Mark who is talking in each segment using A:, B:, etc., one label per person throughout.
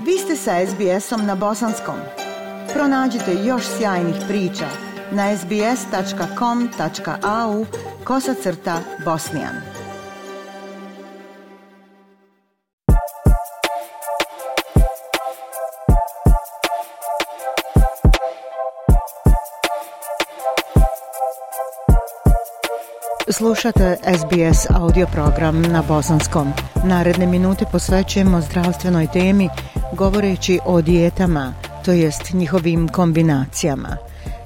A: Vi ste sa SBS-om na bosanskom. Pronađite još sjajnih priča na sbs.com.au/bosnian. Slušate SBS audio program na bosanskom. Naredne minute posvećujemo zdravstvenoj temi govoreći o dijetama, to jest njihovim kombinacijama.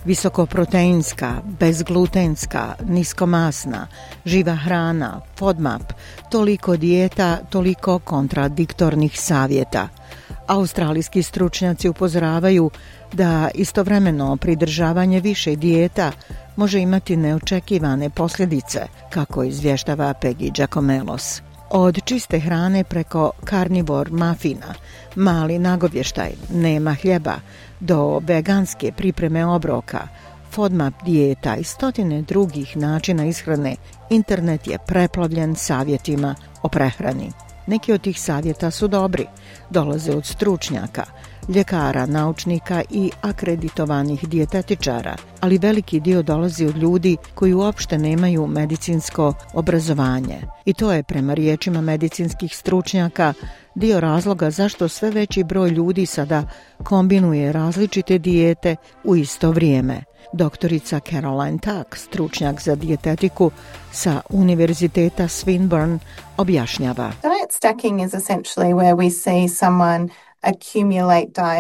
A: Visokoproteinska, bezglutenska, niskomasna, živa hrana, FODMAP, toliko dijeta, toliko kontradiktornih savjeta. Australijski stručnjaci upozoravaju da istovremeno pridržavanje više dijeta može imati neočekivane posljedice, kako izvještava Peggy Giacomelos. Od čiste hrane preko karnivor mafina, mali nagovještaj, nema hljeba, do veganske pripreme obroka, FODMAP dijeta i stotine drugih načina ishrane, internet je preplavljen savjetima o prehrani. Neki od tih savjeta su dobri, dolaze od stručnjaka, ljekara, naučnika i akreditovanih dijetetičara, ali veliki dio dolazi od ljudi koji uopšte nemaju medicinsko obrazovanje. I to je, prema riječima medicinskih stručnjaka, dio razloga zašto sve veći broj ljudi sada kombinuje različite dijete u isto vrijeme. Doktorica Caroline Tuck, stručnjak za dijetetiku sa Univerziteta Swinburne, objašnjava.
B: Diet stacking is essentially where we see someone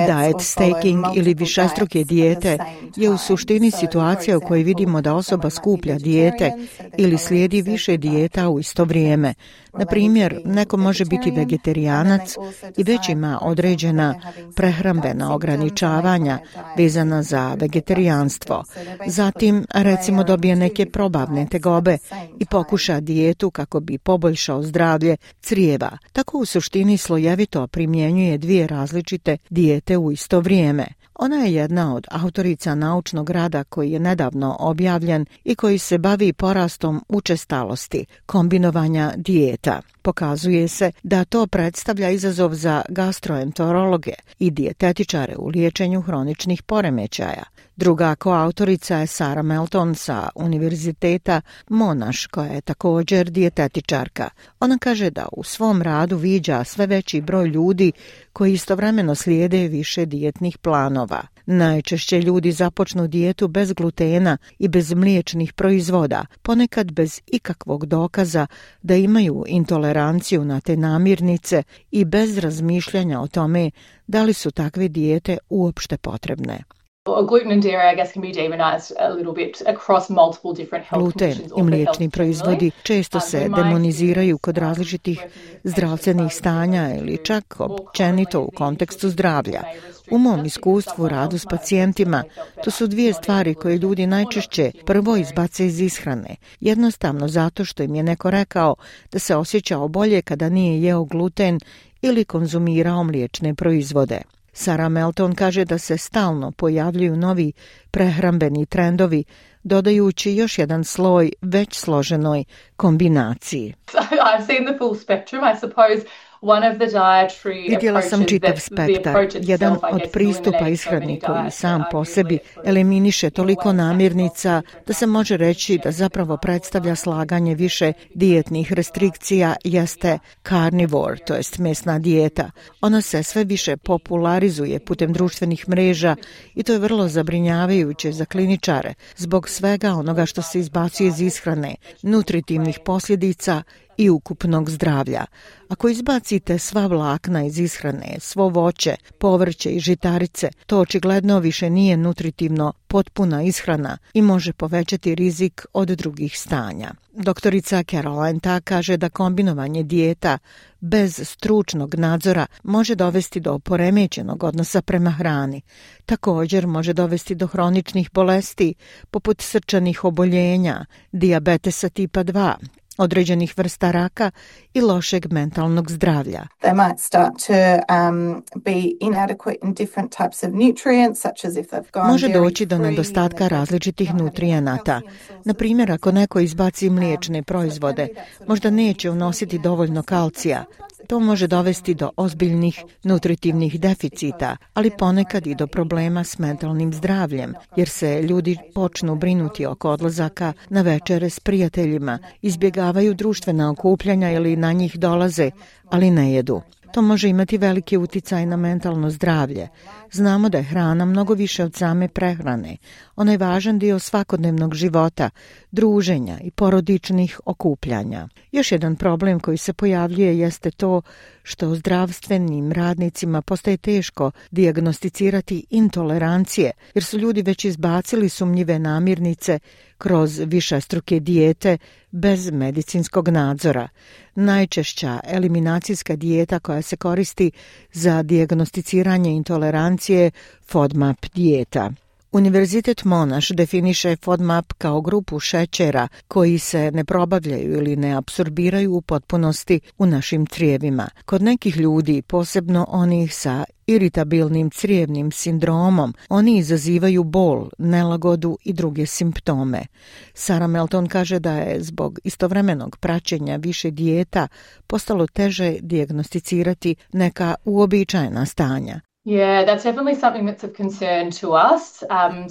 A: Diet stacking ili višestruke dijete je u suštini situacija u kojoj vidimo da osoba skuplja dijete ili slijedi više dijeta u isto vrijeme. Na primjer, neko može biti vegetarijanac i već ima određena prehrambena ograničavanja vezana za vegetarijanstvo. Zatim, recimo, dobije neke probavne tegobe i pokuša dijetu kako bi poboljšao zdravlje crijeva. Tako u suštini slojevito primjenjuje dvije različite dijete u isto vrijeme. Ona je jedna od autorica naučnog rada koji je nedavno objavljen i koji se bavi porastom učestalosti kombinovanja dijeta. Pokazuje se da to predstavlja izazov za gastroenterologe i dijetetičare u liječenju hroničnih poremećaja. Druga koautorica je Sarah Melton sa Univerziteta Monash, koja je također dijetetičarka. Ona kaže da u svom radu viđa sve veći broj ljudi koji istovremeno slijede više dijetnih planova. Najčešće ljudi započnu dijetu bez glutena i bez mliječnih proizvoda, ponekad bez ikakvog dokaza da imaju intoleranciju na te namirnice i bez razmišljanja o tome da li su takve dijete uopšte potrebne. Gluten i mliječni proizvodi često se demoniziraju kod različitih zdravstvenih stanja ili čak općenito u kontekstu zdravlja. U mom iskustvu radu s pacijentima, to su dvije stvari koje ljudi najčešće prvo izbace iz ishrane, jednostavno zato što im je neko rekao da se osjećao bolje kada nije jeo gluten ili konzumirao mliječne proizvode. Sarah Melton kaže da se stalno pojavljuju novi prehrambeni trendovi, dodajući još jedan sloj već složenoj kombinaciji. Vidjela sam čitav spektar. Jedan od pristupa ishrani koji sam po sebi eliminiše toliko namirnica da se može reći da zapravo predstavlja slaganje više dijetnih restrikcija jeste carnivore, to jest mesna dijeta. Ona se sve više popularizuje putem društvenih mreža i to je vrlo zabrinjavajuće za kliničare zbog svega onoga što se izbacuje iz ishrane, nutritivnih posljedica i ukupnog zdravlja. Ako izbacite sva vlakna iz ishrane, svo voće, povrće i žitarice, to očigledno više nije nutritivno potpuna ishrana i može povećati rizik od drugih stanja. Doktorica Caroline Tuck kaže da kombinovanje dijeta bez stručnog nadzora može dovesti do poremećenog odnosa prema hrani. Također može dovesti do hroničnih bolesti poput srčanih oboljenja, dijabetesa tipa 2, određenih vrsta raka i lošeg mentalnog zdravlja.
B: They might start to be inadequate in different types of nutrients, such as if they've gone
A: Može doći do nedostatka različitih nutrijenata. Na primjer, ako neko izbaci mliječne proizvode, možda neće unositi dovoljno kalcija To može dovesti do ozbiljnih nutritivnih deficita, ali ponekad i do problema s mentalnim zdravljem, jer se ljudi počnu brinuti oko odlazaka na večere s prijateljima, izbjegavaju društvena okupljanja ili na njih dolaze, ali ne jedu. To može imati veliki uticaj na mentalno zdravlje. Znamo da je hrana mnogo više od same prehrane. Ona je važan dio svakodnevnog života, druženja i porodičnih okupljanja. Još jedan problem koji se pojavljuje jeste to što zdravstvenim radnicima postaje teško dijagnosticirati intolerancije, jer su ljudi već izbacili sumnjive namirnice kroz višestruke dijete bez medicinskog nadzora. Najčešća eliminacijska dijeta koja se koristi za dijagnosticiranje intolerancije FODMAP dijeta. Univerzitet Monash definiše FODMAP kao grupu šećera koji se ne probavljaju ili ne apsorbiraju u potpunosti u našim crijevima. Kod nekih ljudi, posebno onih sa iritabilnim crijevnim sindromom, oni izazivaju bol, nelagodu i druge simptome. Sarah Melton kaže da je zbog istovremenog praćenja više dijeta postalo teže dijagnosticirati neka uobičajena stanja.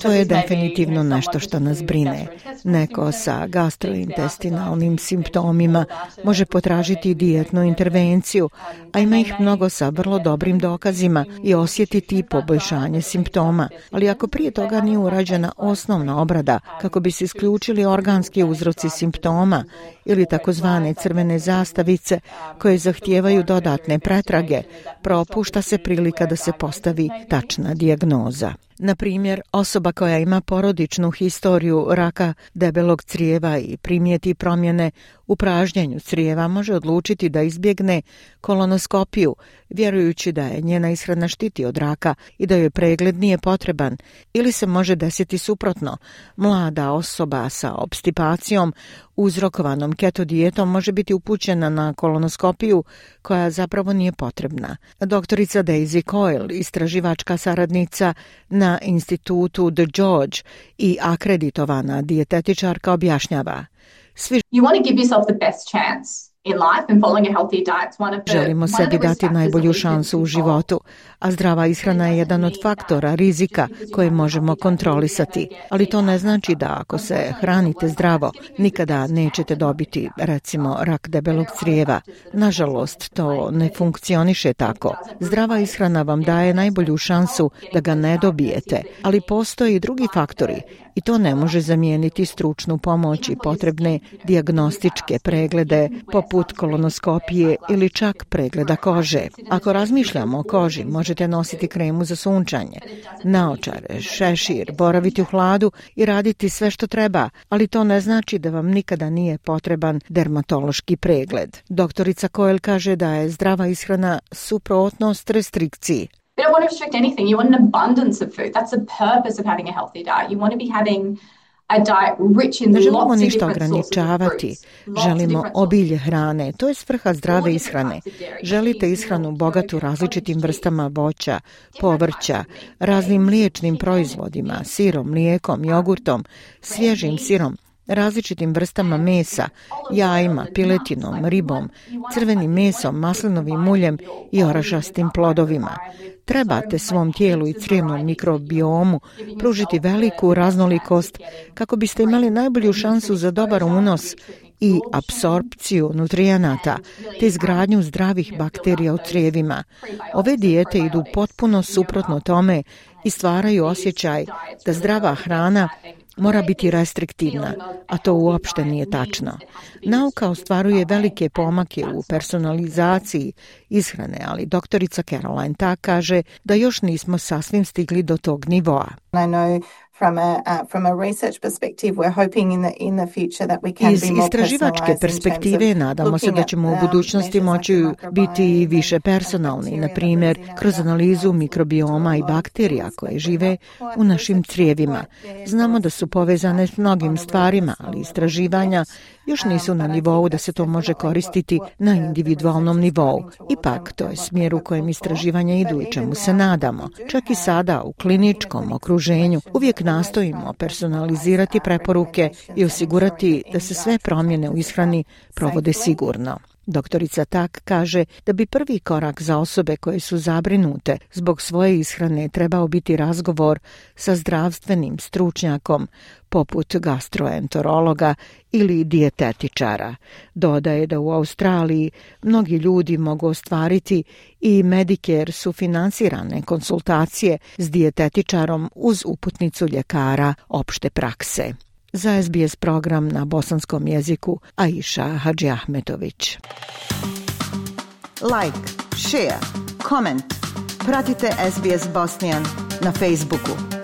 A: To je definitivno nešto što nas brine. Neko sa gastrointestinalnim simptomima može potražiti dijetnu intervenciju, a ima ih mnogo sa vrlo dobrim dokazima i osjetiti poboljšanje simptoma. Ali ako prije toga nije urađena osnovna obrada kako bi se isključili organski uzroci simptoma ili takozvane crvene zastavice koje zahtijevaju dodatne pretrage, propušta se prilika da se postavi tačna dijagnoza. Na primjer, osoba koja ima porodičnu historiju raka debelog crijeva i primijeti promjene u pražnjenju crijeva može odlučiti da izbjegne kolonoskopiju, vjerujući da je njena ishrana štiti od raka i da joj pregled nije potreban, ili se može desiti suprotno. Mlada osoba sa opstipacijom uzrokovanom keto dijetom može biti upućena na kolonoskopiju koja zapravo nije potrebna. Doktorica Daisy Coyle, istraživačka saradnica na institutu The George i akreditovana dijetetičarka, objašnjava: Želimo sebi dati najbolju šansu u životu, a zdrava ishrana je jedan od faktora rizika koje možemo kontrolisati. Ali to ne znači da ako se hranite zdravo, nikada nećete dobiti, recimo, rak debelog crijeva. Nažalost, to ne funkcioniše tako. Zdrava ishrana vam daje najbolju šansu da ga ne dobijete, ali postoje i drugi faktori i to ne može zamijeniti stručnu pomoć i potrebne dijagnostičke preglede poput kolonoskopije ili čak pregleda kože. Ako razmišljamo o koži, možete nositi kremu za sunčanje, naočare, šešir, boraviti u hladu i raditi sve što treba, ali to ne znači da vam nikada nije potreban dermatološki pregled. Doktorica Coyle kaže da je zdrava ishrana suprotnost restrikciji.
C: We don't want to restrict anything. You want an abundance of food. That's the purpose of having a healthy diet. You want to be having a diet rich in
A: Ne želimo
C: lots of
A: ništa
C: different sources of
A: ograničavati,
C: fruits.
A: želimo obilje hrane. To je svrha zdrave ishrane. Želite ishranu bogatu različitim vrstama voća, povrća, raznim mliječnim proizvodima, sirom, mlijekom, jogurtom, svježim sirom, različitim vrstama mesa, jajima, piletinom, ribom, crvenim mesom, maslinovim uljem i orašastim plodovima. Trebate svom tijelu i crijevnom mikrobiomu pružiti veliku raznolikost kako biste imali najbolju šansu za dobar unos i apsorpciju nutrijenata te izgradnju zdravih bakterija u crijevima. Ove dijete idu potpuno suprotno tome i stvaraju osjećaj da zdrava hrana mora biti restriktivna, a to uopšte nije tačno. Nauka ostvaruje velike pomake u personalizaciji ishrane, ali doktorica Caroline Tak kaže da još nismo sasvim stigli do tog nivoa. Iz istraživačke perspektive nadamo se da ćemo u budućnosti moći biti više personalni, na primjer kroz analizu mikrobioma i bakterija koje žive u našim crijevima. Znamo da su povezane s mnogim stvarima, ali istraživanja još nisu na nivou da se to može koristiti na individualnom nivou. Ipak, to je smjer u kojem istraživanja idu i čemu se nadamo. Čak i sada u kliničkom okruženju uvijek nastojimo personalizirati preporuke i osigurati da se sve promjene u ishrani provode sigurno. Doktorica Tak kaže da bi prvi korak za osobe koje su zabrinute zbog svoje ishrane trebao biti razgovor sa zdravstvenim stručnjakom poput gastroenterologa ili dijetetičara. Dodaje da u Australiji mnogi ljudi mogu ostvariti i Medicare sufinansirane konsultacije s dijetetičarom uz uputnicu ljekara opšte prakse. Za SBS program na bosanskom jeziku Aisha Hadžiahmetović.
D: Like, share, comment. Pratite SBS Bosnian na Facebooku.